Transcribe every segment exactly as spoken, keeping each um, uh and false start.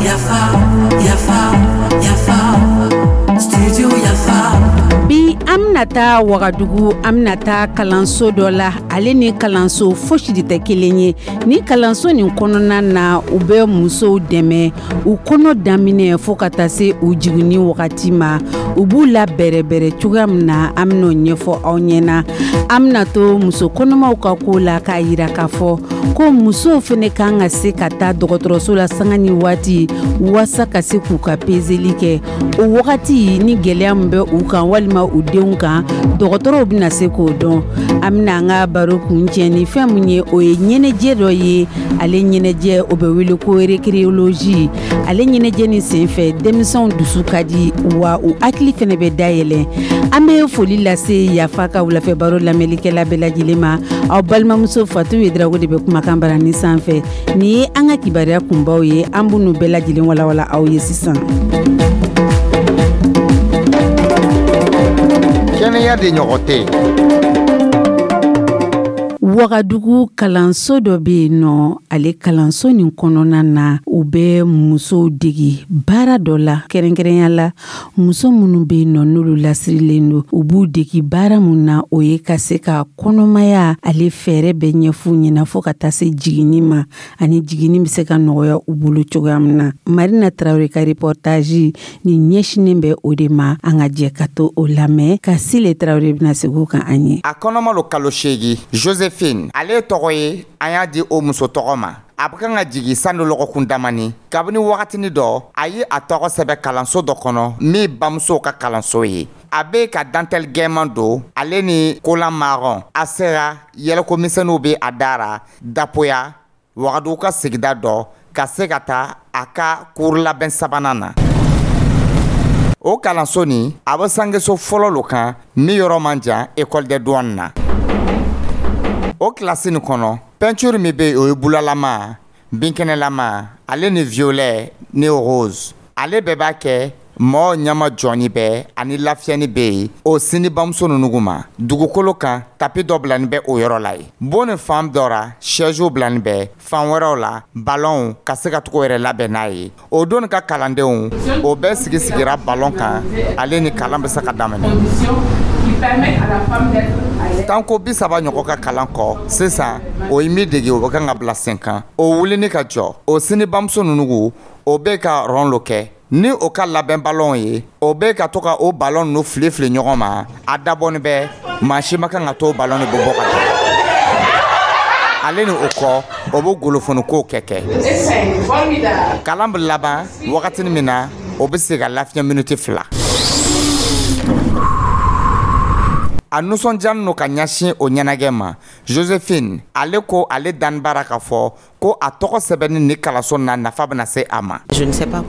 Yafa, yafa, yafa, studio Yafa. Bi, an bɛna taa Wagadugu, an bɛna taa kalanso dɔ la. Ale ni kalanso fosi de tɛ kelen ye. Ni kalanso nin kɔnɔna na, u bɛ musow dɛmɛ u kɔnɔ daminɛ fo ka taa se u jiginni wagati ma. U b'u la bɛrɛbɛrɛ cogoya min na, an bɛn'o ɲɛfɔ aw ɲɛna. An bɛna to muso kɔnɔmaw ka ko la, k'a yira k'a fɔ ko musow fana kan ka se ka taa dɔgɔtɔrɔso la sanga ni waati, waasa ka se k'u ka pezeli kɛ o wagati ni gɛlɛya min bɛ u kan walima u denw kan, dɔgɔtɔrɔw bɛna se k'o dɔn. An bɛna an ka baro kuncɛ ni fɛn min ye, o ye ɲɛnajɛ dɔ ye. Ale ɲɛnajɛ, o bɛ wele ko récréologie. Ale ɲɛnajɛ nin senfɛ, denmisɛnw dusu ka di wa u hakili fɛnɛ bɛ dayɛlɛ. An bɛ foli lase Yafa ka wulafɛ baro lamɛnlikɛla bɛɛ lajɛlen ma. Aw balimamuso Fatu Yedrago de bɛ kumakan barani sanfɛ. Nin ye an ka kibaruya kunbaw ye. An b'u bɛɛ lajɛlen walawala aw ye sisan. Kɛnɛya de ɲɔgɔn tɛ. Wagadugu kalanso dɔ bɛ yen nɔ. Ale kalanso nin kɔnɔna na, u bɛ musow degi baara dɔ la, kɛrɛnkɛrɛnya la muso minnu bɛ yen nɔ, n'olu lasirilen don. U b'u degi baara mun na, o ye ka se ka kɔnɔmaya ale fɛɛrɛ bɛ ɲɛf'u ɲɛna fo ka taa se jiginni ma, ani jiginni bɛ se ka nɔgɔya u bolo cogoya min na. Marina Tarawele ka reportage nin ɲɛsinnen bɛ o de ma. An ka jɛ ka to o lamɛn ka Sile Tarawele bɛna segin o kan an ye. A kɔnɔma lo kalo seegi. Josephine, ale tɔgɔ ye, an y'a di o muso tɔgɔ ma. A bɛ kan ka jigi sanu lɔgɔkun damani. Kabini wagatini dɔ, a ye a tɔgɔ sɛbɛ kalanso dɔ kɔnɔ min bamusow ka kalanso ye. A bɛ ka dentelle gɛman don, ale ni collant marron. A sera, yɛlɛko misɛnninw bɛ a dara Dapoya, Wagadugu ka sigida dɔ, ka se ka taa a ka cours labɛn sabanan na. O kalanso nin, a bɛ sangeso fɔlɔ lo kan min yɔrɔ man jan école des douanes na. O kilasi nin kɔnɔ, peinture min bɛ yen, o ye bulalama, binkɛnɛlama, ale ni violet ni rose. Ale bɛɛ b'a kɛ mɔgɔ ɲama jɔnni bɛ ani lafiyɛni bɛ yen o sini bamuso ninnu ma. Dugukolo kan, tapis dɔ bilani bɛ o yɔrɔ la yen. Bon ni fan dɔ ra, chaise bilani bɛ, fan wɛrɛw la, ballon ka se ka tugu yɛrɛ labɛn n'a ye. O don ka kalandenw, o bɛɛ sigi sigira ballon kan, ale ni kalan bɛ se ka daminɛ. Tanko bi saba ɲɔgɔn ka kalan kɔ sisan, o ye min dege, o bɛ kan ka bila sen kan. O wulini ka jɔ, o sini bamuso ninnu, o bɛ ka rond lo kɛ ni o ka labɛn ballon ye. O bɛ ka to ka o ballon ninnu fili fili ɲɔgɔn ma. A dabɔnin bɛ maa si ma kan ka to ballon nin bɛ bɔ ka taa. Ale ni o kɔ, o bɛ golofonikow kɛ kɛ Kalan bɛ laban wagatini min na, o bɛ se ka lafiɲɛ miniti fila. A nisɔndiyalen don ka ɲɛsin o ɲɛnajɛ ma. Josephine, ale ko ale dani bara k'a fɔ ko a tɔgɔ sɛbɛnni ni kalanso na nafa bɛna se a ma.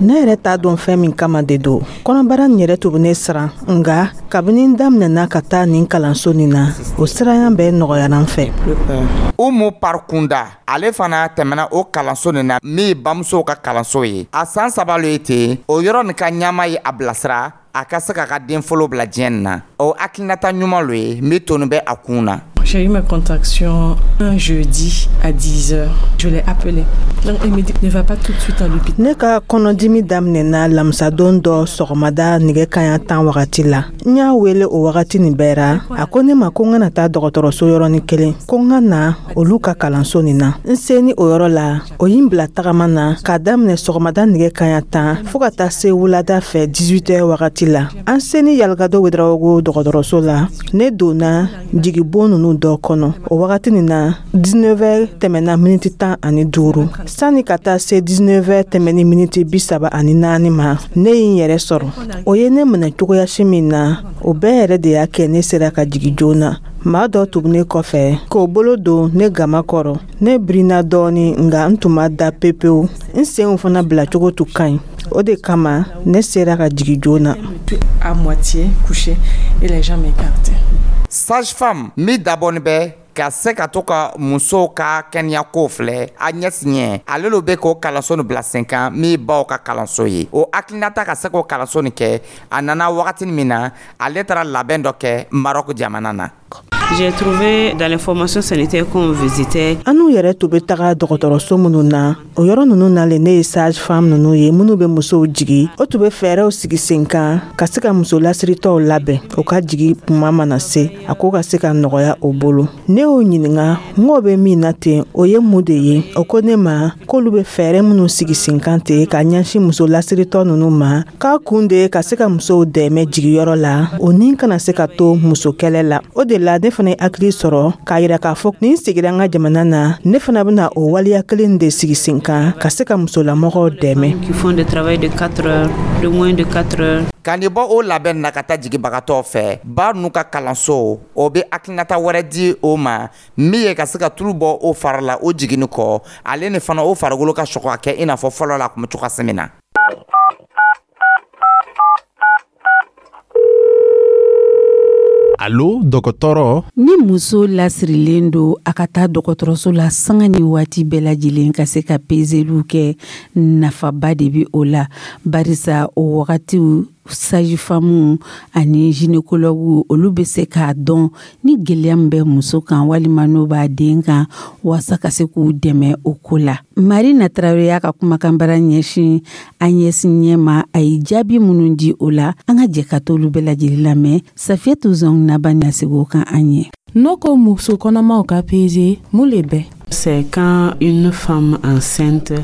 Ne yɛrɛ t'a dɔn fɛn min kama de don. Kɔnɔbara nin yɛrɛ tun bɛ ne siran, nka kabini n daminɛna ka taa nin kalanso nin na, o siranya bɛɛ nɔgɔyara n fɛ. Umu Parikunda, ale fana tɛmɛna o kalanso nin na min ye bamusow ka kalanso ye. A san saba lo ye ten. O yɔrɔ nin ka ɲɛma ye a bilasira a ka se k'a ka den fɔlɔ bila diɲɛ nin na. O hakilinata ɲuman lo ye min toni bɛ a kun na. J'ai eu ma contraction un jeudi à dix heures. Je l'ai appelé. Donc il me dit: ne va pas tout de suite à l'hôpital. Ne ka kɔnɔdimi daminɛna lamisadon dɔ sɔgɔmada nɛgɛ kaɲa tan wagati la. N y'a wele o wagati nin bɛɛ ra. A ko ne ma ko n kana taa dɔgɔtɔrɔso yɔrɔnin kelen, ko n ka na olu ka kalanso nin na. N seni o yɔrɔ la, o ye n bila tagama na k'a daminɛ sɔgɔmada nɛgɛ kaɲa tan fɔɔ ka taa se wulada fɛ dix-huit heures wagati la. An seni Yalikado Wedarawogo dɔgɔtɔrɔso la, ne donna jigibon nunu dɔ kɔnɔ. O wagati nin na, dix-neuf heures tɛmɛna miniti tan ani duuru. Sani ka taa se dix-neuf heures tɛmɛni miniti bi saba ani naani ma, ne ye n yɛrɛ sɔrɔ. O ye ne minɛ cogoyasi min na, o bɛɛ yɛrɛ de y'a kɛ ne sera ka jigi joona. Maa dɔ tun ne kɔfɛ k'o bolo don ne gama kɔrɔ. Ne birinna dɔɔni, nka n tun ma da pepewu. N senw fana bilacogo tun ka ɲi, o de kama ne sera ka jigi joona. À moitié couché et les gens m'écartaient. Sage femme min dabɔnin bɛ ka se ka to ka musow ka kɛnɛyako filɛ a ɲɛsiɲɛ, ale lo bɛ k'o kalanso nin bila sen kan min baw ka kalanso ye. O hakilinata ka se k'o kalanso nin kɛ, a nana wagatini min na, ale taara labɛn dɔ kɛ Marɔku jamana na. J'ai trouvé dans les formations sanitaires qu'on visitait. An n'u yɛrɛ tun bɛ taga dɔgɔtɔrɔso minnu na, o yɔrɔ ninnu na le ne ye sage femme ninnu ye minnu bɛ musow jigi. O tun bɛ fɛɛrɛw sigi sen kan ka se ka muso lasiritɔw labɛn, o ka jigi kuma mana se, a ko ka se ka nɔgɔya o bolo. Ne y'o ɲininka n k'o bɛ min na ten, o ye mun de ye? O ko ne ma k'olu bɛ fɛɛrɛ minnu sigi sen kan ten ka ɲɛsin muso lasiritɔ ninnu ma, k'a kun de ye ka se ka musow dɛmɛ jigiyɔrɔ la, o ni kana se ka to muso kɛlɛ la. O de la ne fana ye hakili sɔrɔ k'a yira k'a fɔ ni n segira n ka jamana na, ne fana bɛna o waleya kelen de sigi sen kan ka se ka musolamɔgɔw dɛmɛ. Qui font des travail de quatre heures, de moins de quatre heures. Ka nin bɔ o labɛn na ka taa jigibagatɔ fɛ ba n'u ka kalanso, o bɛ hakilinata wɛrɛ di o ma min ye ka se ka tulu bɔ o fari la o jiginni kɔ, ale ni fana o farikolo ka sɔgɔ ka kɛ i n'a fɔ fɔlɔ la a tun bɛ cogoya min na. Alo, dɔgɔtɔrɔ. Ni muso lasirilen don, a ka taa dɔgɔtɔrɔso la sanga ni waati bɛɛ lajɛlen ka se ka peseliw kɛ, nafaba de bɛ o la, barisa o wagatiw sage-femme ani gynécologue olu bɛ se k'a dɔn ni gɛlɛya min bɛ muso kan walima n'o b'a den kan, walasa ka se k'u dɛmɛ o ko la. Marina Tarawele y'a ka kumakanbara ɲɛsin an ɲɛsin ɲɛ ma, a ye jaabi minnu di o la, an ka jɛ ka t'olu bɛɛ lajɛlen lamɛn. Safiyatu Zɔn naba na segin o kan an ye. N'o ko muso kɔnɔmaw ka peze, mun le bɛ? C'est quand une femme enceinte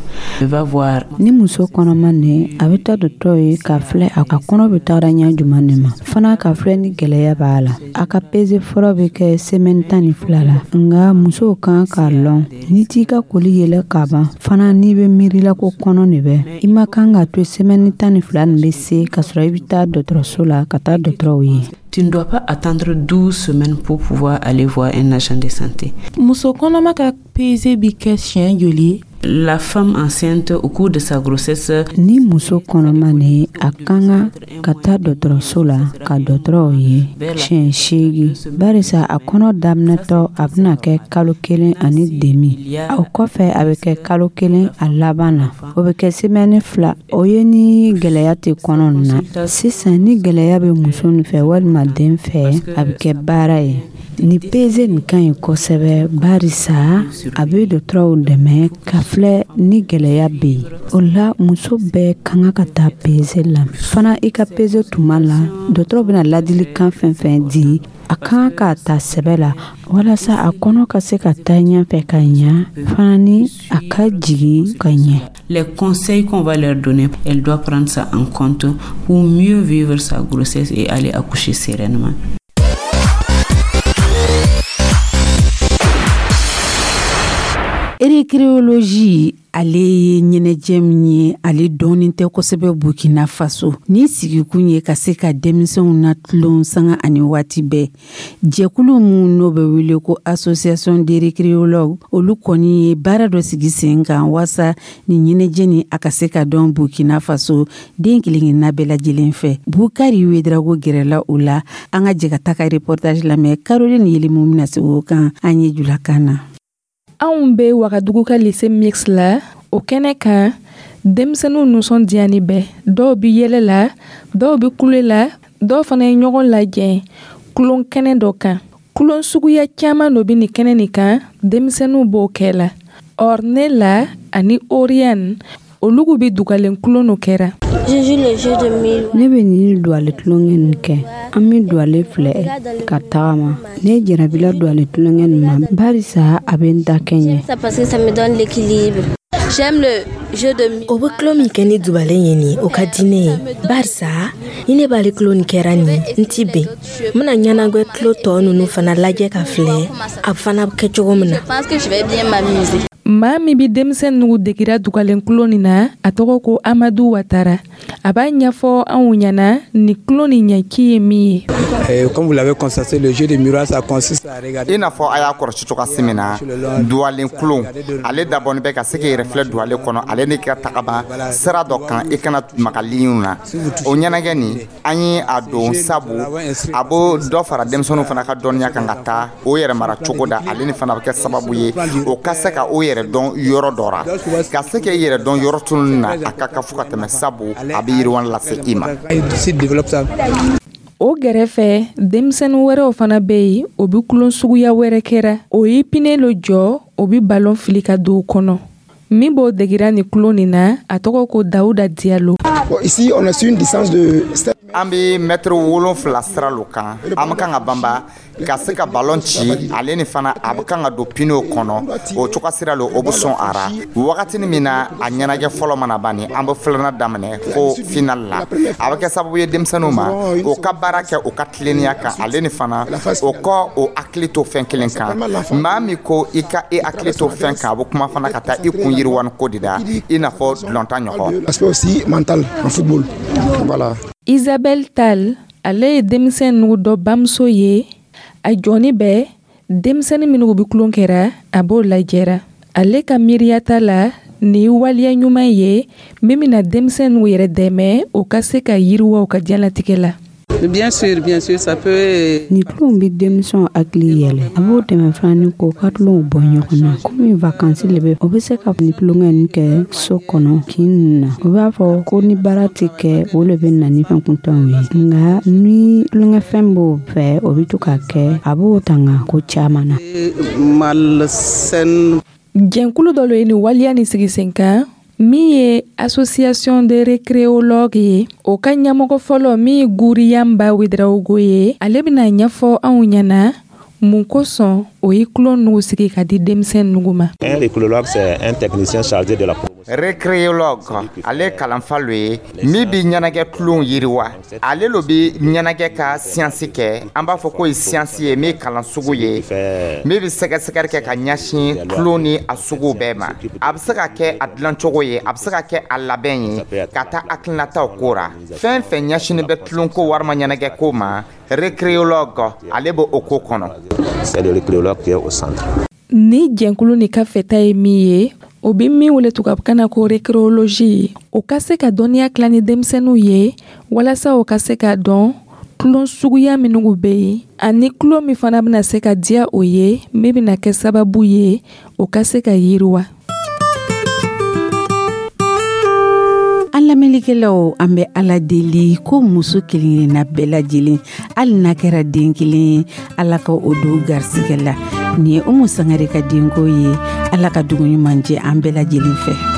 va voir. Ni muso kɔnɔma nin, a bɛ taa dɔgɔtɔrɔ ye k'a filɛ a ka kɔnɔ bɛ taga ɲɛ jumɛn de ma, fana k'a filɛ ni gɛlɛya b'a la. A ka peze fɔlɔ bɛ kɛ semaine tan ni fila la. Nka musow kan k'a lɔn, n'i t'i ka koli yɛlɛ ka ban fana, n'i bɛ miiri la ko kɔnɔ de bɛ, i ma kan ka to semaine tan ni fila nin bɛ se ka sɔrɔ i bɛ taa dɔgɔtɔrɔso la ka taa dɔgɔtɔrɔw ye. Tu ne dois pas attendre douze semaines pour pouvoir aller voir un agent de santé. Muso kɔnɔma ka peze bi kɛ siɲɛ joli? La femme enceinte au cours de sa grossesse. Ni muso kɔnɔma nin, a kan ka ka taa dɔgɔtɔrɔso la ka dɔgɔtɔrɔw ye siɲɛ seegin, barisa a kɔnɔ daminɛtɔ a bɛna kɛ kalo kelen ani demi, o kɔfɛ a bɛ kɛ kalo kelen a laban na, o bɛ kɛ semaine fila. O ye ni gɛlɛya tɛ kɔnɔ nin na. Sisan ni gɛlɛya bɛ muso nin fɛ walima den fɛ, a bɛ kɛ baara ye. Ni peze nin ka ɲi kosɛbɛ, barisa a bɛ dɔgɔtɔrɔw dɛmɛ ka filɛ ni gɛlɛya bɛ yen. O la muso bɛɛ kan ka taa peze la fana. I ka peze tuma la, dɔgɔtɔrɔ bɛna ladilikan fɛn fɛn di, a kan k'a ta sɛbɛ la walasa a kɔnɔ ka se ka taa ɲɛfɛ ka ɲa, fana ni a ka jigin ka ɲɛ. Les conseils qu'on va leur donner, elle doit prendre ça en compte pour mieux vivre sa grossesse et aller accoucher sereinement. Récréologie, ale ye ɲɛnajɛ min ye, ale dɔɔnin tɛ kosɛbɛ Burkina Faso. Ni sigikun ye ka se ka denmisɛnw na tulon sanga ani waati bɛɛ. Jɛkulu min n'o bɛ wele ko association des récréologues, olu kɔni ye baara dɔ sigi sen kan walasa ni ɲɛnajɛ ni a ka se ka dɔn Burkina Faso den kelen-kelenna bɛɛ lajɛlen fɛ. Bukari Wedrago gɛrɛla o la, an ka jɛ ka taa ka reportage lamɛn. Caroline Yelimu bɛna segin o kan an ye julakan na. Anw bɛ Wagadugu ka lycée mixte la. O kɛnɛ kan, denmisɛnninw nisɔndiyani bɛ. Dɔw bɛ yɛlɛ la, dɔw bɛ kule la, dɔw fana ye ɲɔgɔn lajɛ kulon kɛnɛ dɔ kan. Kulon suguya caman dɔ bɛ nin kɛnɛ nin kan, denmisɛnninw b'o kɛ la. Ornella ani Oriane, olu bɛ dugalen kulon dɔ kɛra. Ne bɛ nin duwale tulonkɛ nin kɛ. An bɛ duwale filɛ ka tagama. Ne jarabila duwale tulonkɛ nin ma, barisa a bɛ n da kɛɲɛ. O bɛ tulon min kɛ ni dubalen ye nin, o ka di ne ye, barisa ni ne b'ale tulon nin kɛra nin, n ti ben. N bɛna ɲɛnagwɛ tulo tɔ ninnu fana lajɛ ka filɛ a fana bɛ kɛ cogo min na. Maa min bɛ denmisɛn nugu degira dugalen kulon nin na, a tɔgɔ ko Amadu Watara. A b'a ɲɛfɔ anw ɲɛna nin kulon nin ɲɛci ye min ye. Comme vous l'avez constaté, le jeu de miroir, ça consiste à regarder. I n'a fɔ a y'a kɔlɔsi cogoya min na, duwalen kulon ale dabɔnin bɛ ka se k'i yɛrɛ filɛ duwalen kɔnɔ, ale ni ka tagama sira dɔ kan, i kana maga liɲiw na. O ɲɛnajɛ nin, an ye a don sabu a b'o dɔ fara denmisɛnninw fana ka dɔnniya kan ka taa o yɛrɛ mara cogo da, ale ni fana bɛ kɛ sababu ye o ka se ka o yɛrɛ dɔn yɔrɔ dɔ ra, ka se k'e yɛrɛ dɔn yɔrɔ tununi na, a ka kan fo ka tɛmɛ, sabu a bɛ yiriwa lase i ma. O gɛrɛfɛ, denmisɛnnin wɛrɛw fana bɛ yen, o bɛ tulon suguya wɛrɛ kɛra. O ye pine lo jɔ, o bɛ balon fili ka don o kɔnɔ. Min b'o degira nin tulon nin na, a tɔgɔ ko Dawuda Diyalo. Bon, ici, on est sur une distance de sept An bɛ mɛtiri wolonfila sira lo kan. An bɛ kan ka banba ka se ka balon ci, ale ni fana a bɛ kan ka don pinew kɔnɔ. O cogoya sira lo, o bɛ sɔn a ra wagatini min na. A ɲɛnajɛ fɔlɔ mana ban ni, an bɛ filanan daminɛ fo final la. A bɛ kɛ sababu ye denmisɛnninw ma, o ka baara kɛ o ka tilennenya kan, ale ni fana o kɔ o hakili to fɛn kelen kan. Maa min ko i ka e hakili to fɛn kan, a bɛ kuma fana ka taa i kun yiriwani ko de da, i n'a fɔ dulɔntan ɲɔgɔn. L'aspect aussi mental en football. Voilà. Isabelle Tal, ale ye denmisɛn nugu dɔ bamuso ye. A jɔnni bɛ denmisɛnnin minnu bɛ tulon kɛra, a b'o lajɛra. Ale ka miiriya ta la, nin ye waleya ɲuman ye min bɛna denmisɛnninw yɛrɛ dɛmɛ, o ka se ka yiriwa u ka diɲɛlatigɛ la. Bien sûr, bien sûr, ça peut. Nin tulonw bɛ denmisɛnw hakili yɛlɛ. A b'o dɛmɛ fana ni k'o ka tulonw bɔ ɲɔgɔn na. Komi vakansi le bɛ, o bɛ se ka nin tulonkɛ nin kɛ so kɔnɔ kin ninnu na. O b'a fɔ ko ni baara tɛ kɛ, o le bɛ na ni fɛn kuntanw ye. Nka ni tulonkɛfɛn b'o fɛ, o bɛ to ka kɛ, a b'o tanga ko caman na. Malsaine. Jɛnkulu dɔ lo ye nin waleya nin sigi sen kan, min ye Association de récréologues ye. O ka ɲɛmɔgɔ fɔlɔ, min ye Guriyanba Wedarawogo ye, ale bɛna ɲɛfɔ anw ɲɛna mun kosɔn o ye tulon nugu sigi ka di denmisɛn nugu ma. Un récréologue, c'est un technicien chargé de la promotion. Récréologue, ale ye kalanfa lo ye min bi ɲɛnajɛ tulon yiriwa. Ale lo bi ɲɛnajɛ ka siyansi kɛ. An b'a fɔ k'o ye siyansi ye min ye kalan sugu ye min bɛ sɛgɛsɛgɛli kɛ ka ɲɛsin tulon ni a suguw bɛɛ ma. A bɛ se ka kɛ a dilancogo ye, a bɛ se ka kɛ a labɛn ye, ka taa hakilinataw ko ra. Fɛn fɛn ɲɛsinnen bɛ tulonko walima ɲɛnajɛ ko ma, récréologue, ale bɛ o ko kɔnɔ. C'est le récréologue qui est au centre. Ni jɛnkulu nin ka fɛta ye min ye, o bɛ min wele tubabukan na ko récréologie, o ka se ka dɔnniya tila ni denmisɛnninw ye, walasa o ka se ka dɔn tulon suguya minnu bɛ yen, ani tulon min fana bɛna se ka diya o ye, min bɛna kɛ sababu ye o ka se ka yiriwa. An lamɛnnikɛlaw, an bɛ Ala deli ko muso kelen-kelenna bɛɛ lajɛlen, hali n'a kɛra den kelen ye, Ala ka o don garisigɛ la. Nin ye Umu Sangare ka denko ye. Ala ka dugu ɲuman jɛ an bɛɛ lajɛlen fɛ.